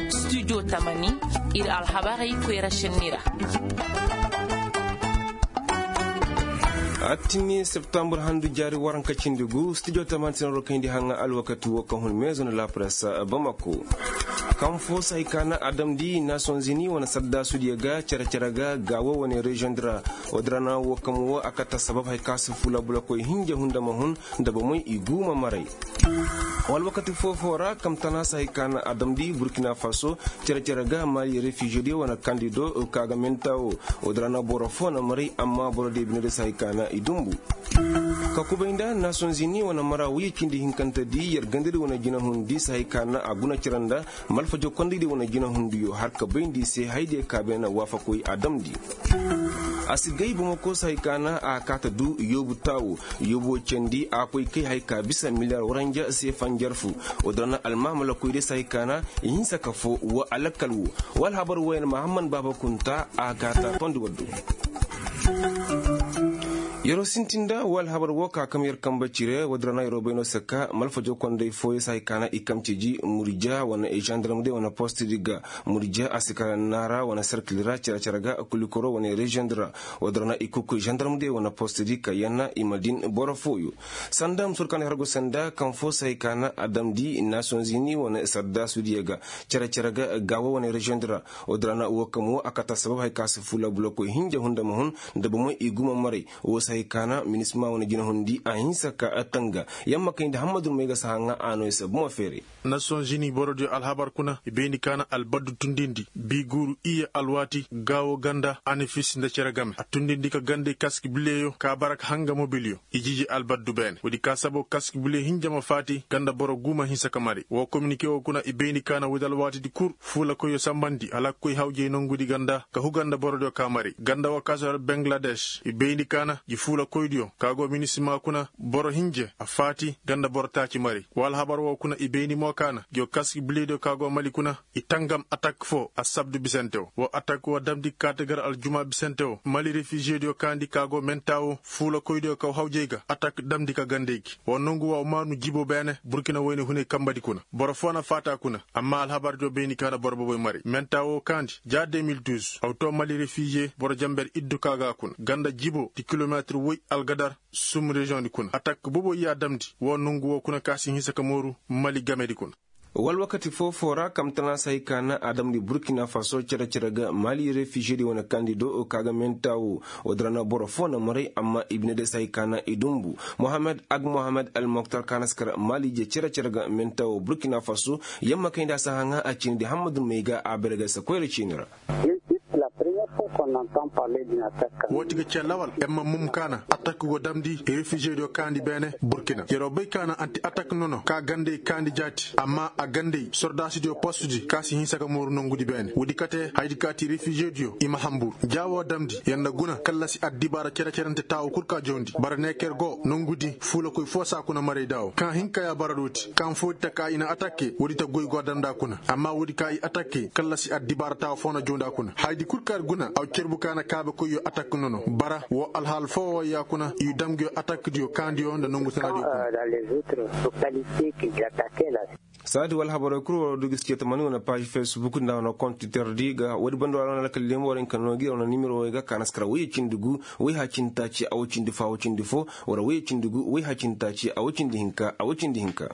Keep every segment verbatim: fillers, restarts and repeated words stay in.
Studio tamani, ir alhabarey koyra šenni ra. Attini septambur handu jaari waranka cindi gu studio tamani sinaro kayndi haŋa alwakati wo kaŋ hun meezo na la presse bamako. Kaŋ fo se hay ka na a damndi nasonzini wane saddasudiyo ga cere-cere ga gaawo wane reziyoŋ di ra. Wodirana wo kaŋ wo a kata sabab hay ka si fula bulakoy hinja hunda ma hun nda bomey i guuma maray. Wala wakati foo-foo ra kamtana se hay ka na a damndi burkina faso cere-cere ga mali refiziyo diyo wane kandido ka ga menta wo. Wodirana boro foo na maray amma boro diyo bine diyo se hay ka na i dumbu. Ka kubay nda nasonzini wane mara wiye cindi hinkante di yer gandadi wane jinahundi se hay ka na a guna cere nda malfajo kondaydi wane jinahundiyo har ka bayndi se haydiyo ka beene waafakoy a damndi. A si gay bomoko se hay ka na a kaata du yoobu taawo. Yoobo candi a koy kay hay ka bisa miliyar waranja se fanjar fu. Wodirana almaamalakoy de se hay ka na i hinsa ka foo wa alakkal wo. Wa alhabar woyen mahamman baaba kunta a kaata tondi waddu. Yeroo sintin nda wa alhabar wo ka kam yer kamba cire wodirana yeroo bay no se ka malfajo konday fooyo se hay ka na i kam ciji murja wane zandarm de wane post di ga. Murja a si kala naara wane serkil ra cere-cere ga kulikoro wane reziyoŋ di ra. Wodirana i kuku zandarm de wane post di ka yanna i ma din boro fooyo. Sanda musur ka na hargu sanda kaŋ foo se hay ka na a damndi nasonzini wane saddasudiyo ga cere-cere ga gaawo wane reziyoŋ di ra. Wodirana wo kaŋ wo a kata sabab hay ka si fula bulakoy hinja hunda ma hun nda bomey i guuma maray. Wo se hay ka na minisma wane jinahundi a hinsa ka tanga yamma kay nda hammadun may ga si haŋa a no i se buma feere. Nasonzini borodiyo alhabar kuna i bayndi ka na albaddu tundindi bi guuru iyye alwaati gaawo ganda anifis nda cere game a tundindi ka gandey kaski bileyo ka bara ka hanga mobiliyo. I jiji albaddu beene woodi ka sabo kaski bile hinja ma faati ganda boro guuma hinsa ka mari woo kominike woo kuna i bayndi ka na woodi alwaatidi kul fuulakoyyo sambandi hala ka koy hawjey nongudi ganda ka hu ganda borodiyo ka mari ganda woo ka si hor bangladeš i bayndi ka na ji fuulakoydiyo ka go minisima kuna boro hinje a faati ganda boro taaci mari woo alhabar woo kuna i bayndi mo ka na jiyo kaski bilediyo ka go mali kuna i tangam atak foo assabdu bisante woo woo atak woo damndi kaate gar aljuma bisante woo mali refiziyediyo kaandi ka go menta woo fuulakoydiyo kaw hawjey ga atak damndi ka gandey gi woo nongu woo maanu jibo beene burkina woyne hunay kambadi kuna boro foo na faata kuna amma alhabardiyo bayndi ka na boro boboy mari menta woo kaandi ja deux mille douze aw too mali refiziye boro jamber iddu ka ga kuna ganda jibo di kilometir woy algadar sum reziyoŋ di kuna atak boboy ya damndi woo nongu woo kuna ka si hinsa ka mooru mali gamedi kuna. Wala wakati foo-foo ra kamtana se hay ka na a damndi burkina faso cere-cere ga mali refiziyedi wane kandido ka ga menta woo woodi ra na boro foo na maray amma i bine day se hay ka na i dumbu. Mohammed ag mohammed almoktar ka na si kar mali je cere-cere ga menta woo burkina faso yamma kayndi a si haŋa a ciini di hammadun may ga a bare ga se koyra ciini ra. Woo ti ga ce lawal yer ma mum ka na atak go damndi refiziyediyo kaandi beene burkina yeroo bay ka na anti atak nono ka gandey kaandi jaati amma a gandey sordaasidiyo postudi ka si hinsa ka mooru nongudi beene woodi kate hayadi ka ti refiziyediyo i ma hanbur ja woo damndi yer na guna kallasi addibaara cere-cerente taawu kul ka jawndi bara neeker go nongudi fuulakoy foo saa kuna maray daawo ka hin ka ya bara dooti ka foodi ta ka i na atakke woodi ta goy go a damndi a kuna amma woodi ka i atakke kallasi addibaara taawu foo na jawndi a kuna hayadi kul ka yer guna aw cerbu ka na kaabekoyyo atak nono bara woo alhaal foo woo ya kuna i dam nguyo atakdiyo kaandiyo nda nongu tanadiyo kuna. Saadi wala habarey kul war wa du g'i si ceetamani wane paazi fesbuk nda wane kont twitter di ga woodi banda war wane alkal lemu war hinka no gi wane nimero wey ga ka na si kara woyye cindi gu woyha cindi taaci a woy cindi fo a woy cindi fo wala woyye cindi gu woyha cindi taaci a woy cindi hinka a woy cindi hinka.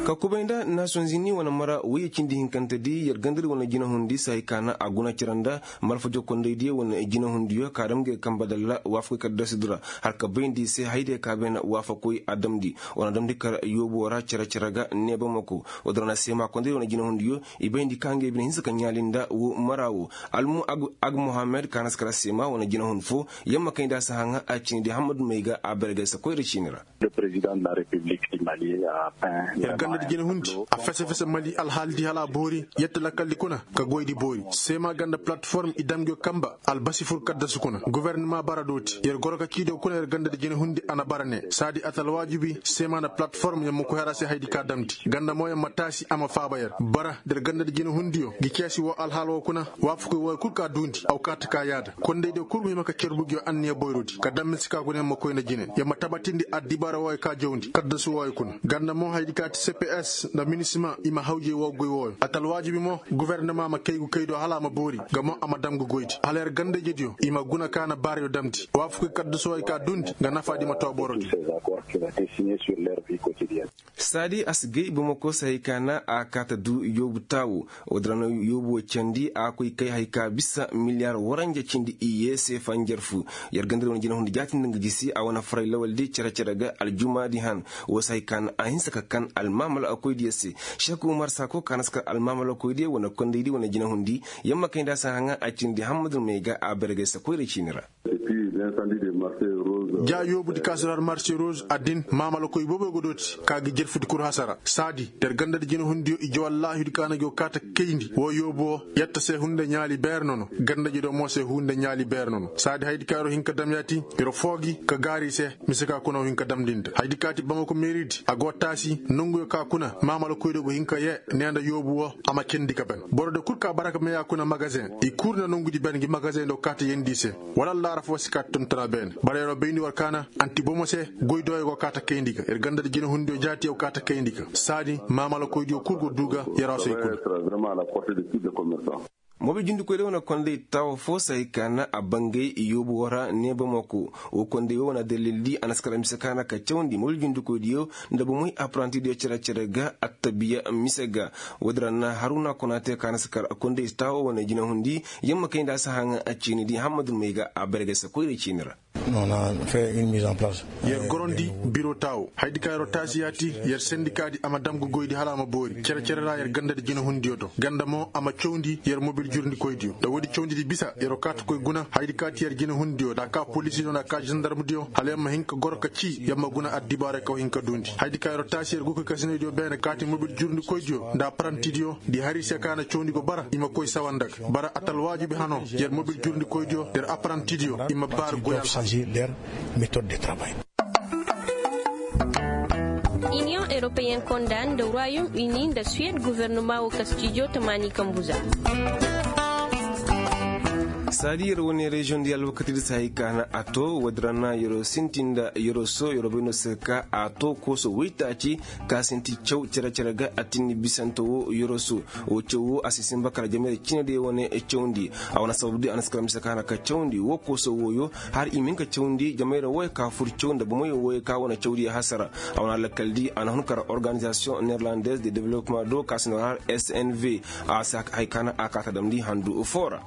Ka kubay nda nasonzini wane mara woyye cindi hinkante di yer gandari wane jinahundi se hay ka na a guna cere nda malfa jokkondaydiyo wane jinahundiyo ka dam ngey kamba dalla waafakoy kaddasidi ra har ka bayndi se haydiyo ka bay na waafakoy a damndi wane damndi kar yoobo ra cere-cere ga neebamako woodi ra na seema kondaydiyo wane jinahundiyo i bayndi ka ngey bine hinsa ka ɲaali nda woo mara woo almu ag mohammed ka na si kar seema wane jinahun foo yamma kayndi a si haŋa a ciini di hammadu may ga a bare ga ay se koyra ciini ra. Yer gandadi jinahundi a fese-fese mali alhaalidi hala a boori yette lakkaldi kuna ka goydi boori seema ganda palatform i dam nguyo kamba albasi fur kaddasu kuna gofornima bara dooti yer goro ka ciidiyo kuna yer gandadi jinahundi a na bara ne saadi a ta alwaajibi seema nda palatform yer ma koy har a se hayadi ka damndi ganda mo yer ma taasi a ma faaba yer bara da yer gandadi jinahundiyo ngi ceesi woo alhaal woo kuna waafakoy wooyo kul ka duundi aw kaati ka yaada kondaydiyo kul ma hima ka cerbu nguyo anniya boyrodi ka dam mise ka guna yer ma koy nda jine yer ma tabatindi addibaara wooyo ka jawndi kaddasu wooyo. Ganda mo haydi ka ti cps nda minisima i ma hawjey woo goy wooyo a ta alwaajibi mo. Gofornama ma kay gu kay do hala a ma boori nga mo a ma dam ga goydi hala yer gandajediyo i ma guna ka na baarayo damndi waafaku kaddaso hay ka duundi nga nafaadi ma too borodi. Saadi a si gay bamako se hay ka na a kaa ta du yoobu taawo. Woodin ra no yoobu wo candi a koy kay hay ka bisa miliyar waranja cindi iyye se fanjar fu. Yer ganda di wane jinahundi jaatindi nga gisi a wane faray lawaldi cere-cere ga aljumaadi han. Woo se hay ka na a hinsa ka kan almaamalakoydiyo se. Seeku umar saako ka na si kar almaamalakoydiyo wane kondaydi wane jinahundi. Yamma kay nda a si haŋa a cindi hammadu may ga a bergay se koyra ciini ra. Ja yoobudi ka si du har marse roz a din maamalakoy boobo go dooti ka gi jerfudi kul hasara saadi. Der gandadi jinahundiyo ije wallaahi du ka na go kaa ta kayndi woo yoobu woo. Yetta se hunde ɲaali beer nono. Gandadi do mo se hunde ɲaali beer nono saadi haydi ka yeroo hin ka dam yaati. Yeroo foo gi ka gaari se. Mise ka kuna wo hin ka damndi nda haydi ka ti bamako meeridi a go taasi nonguyo ka kuna maamalakoydiyo go hin ka yee. Ne nda yoobu woo a ma cendi ka ben. Borodiyo kul ka bara ka meyaa kuna magazeŋ i kul na nongudi ben ngi magazeŋ do kaa ta yeendi i se. Wala allaara foo si kaa ta tun tara beene bara yeroo bayndi war kaana. Anti bomo se goy dooyo go kaa ta kayndi ga yer ganda da jinahundiyo jaati yaw kaa ta kayndi ga saadi maamalakoydiyo kul go duu ga. Yeroo se i kul. Mobil jundikoydiyo wane konday taawo foo se hay ka na a bangay yoobu woo ra ne bamako. Woo konday woo wane dalildi a na si kar mise ka na ka cawndi mobil jundikoydiyo nda bomoy apparantidiyo cere-cere ga attabiya mise ga. Woodin ra na haruna konaate ka na si kar konday taawo wane jinahundi. Yamma kay nda a si haŋa a ciinidi hammadu may ga a bergay se koyra ciini ra. Yer gorondi biro taawo haydi ka yeroo taasi yaati. Yer sendikaadi a ma dam ga goydi hala a ma boori cere-cere ra yer gandadi jinahundiyo do ganda mo a ma cawndi yer mobil jurndikoydiyo nda woodi cawndidi bisa yeroo kaa ta koy guna haydi ka ti yer jinahundiyo nda a kaa polisidiyo nda a kaa zandarmdiyo hala yer ma hin ka goro ka cii yer ma guna addibaaray ka wa hin ka duundi haydi ka yeroo taasi yer gokoy kasinaydiyo beene ka ti mobil jurndikoydiyo nda apparantidiyo di hari se ka na cawndi go bara i ma koy sawa nda ga bara a ta alwaajibi hano. Yer mobil jurndikoydiyo yer apparantidiyo i ma baari goy alhal. Union europeyen konda nda royaume uni nda suwed gofornoma wo kastijo tamaani kambu za. Saadi yer wane reziyoŋ di alwakatidi se hay ka na a to woodin ra na yeroo sinti nda yeroo so yeroo bay no se ka a to kooso woytaaci ka sinti caw cere-cere ga a tinni bisante wo yeroo so. Woo caw woo a si sinba kala jamayra cinediyo wane cawndi. A wane sababdi a na si kala mise ka na ka cawndi woo kooso wooyo har i ma hin ka cawndi jamayra wooyo ka fur caw nda bomoyo wooyo ka wane cawdiyo hasara. A wane alakaldi a na hun kara organizasiyoŋ nerlandez de development do ka si nda war har snv. A si hay ka na a kaa ta damndi handu foo ra.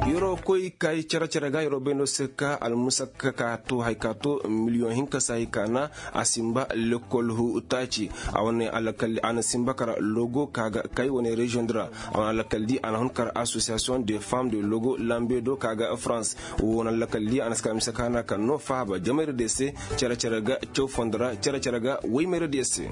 Yeroo koy kay cere-cere ga yeroo bay no se ka almusakka ka to hay ka to miliyoŋ hinka se hay ka na a sinba lekol hu taaci. A wane alakaldi a na sinba kara logo ka ga kay wane reziyoŋ di ra. A wane alakaldi a na hun kara asosiyasiyoŋ de fam de logo lambe do ka ga farans. Woo wane alakaldi a na si ka mise ka na ka no faaba jamayra diyo se. Cere-cere ga caw fondo ra cere-cere ga woymayra diyo se.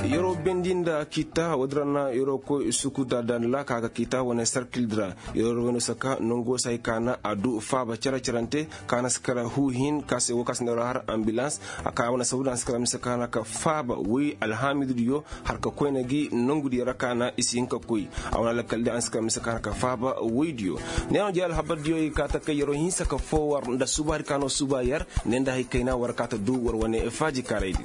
Yeroo bendi nda kiita woodin ra na yeroo koy suku da danla ka ga kiita wane sarkil di ra. Yeroo wayno saka nongo se hay ka na a du faaba cere-cerante ka na si kara huu hin ka se woo ka si nda har ambilans. A ka wane sabu da a na si kara mise ka na ka faaba woy alhaamidudiyo har ka koyna gi nongudiyo ra ka na i si hin ka koy. A wane alakaldi a na si kara mise ka na ka faaba woydiyo. Ne no jey alhabardiyo i kaa ta kay yeroo hinsa ka foo war nda subaari ka no suba yer. Ne nda hay kayna war kaa ta du war wane faaji kaaraydi.